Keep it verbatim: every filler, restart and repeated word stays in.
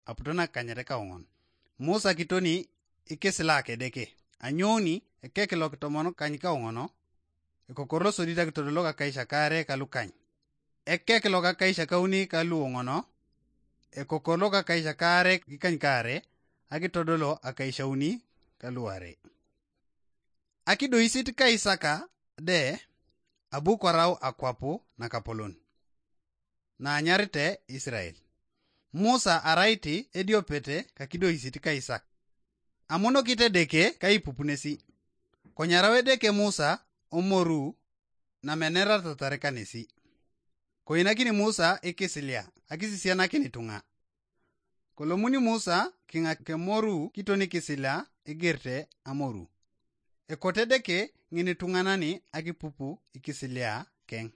aputo nakanyet kaoŋon. Musa kitoni ikisila kedeke. Anyouni ekek lokitomon kany kaoŋono, ekokor losodit akitodolok akaisakare kalukany. Ekek lokakaisakauni kaluoŋono, ekokor lokakaisakare kikany kare, akitodolo akaishauni kaluare. Akidoisit kaisaka de abu kwarau akwapu nakapolon naanyarite Israel. Musa araiti ediopete kakidoisit kaisak. Amonokit Edeke kaipupunesi. Konyarau Edeke Musa omoru nameneratatar kanesi. Koinakini Musa ikisilia akisisianakin ituŋa. Kolomuni Musa kiŋa kemoru kiton ikisilia igirte amoru. Ekote Edeke ŋinituŋanani akipupu ikisilia keŋ.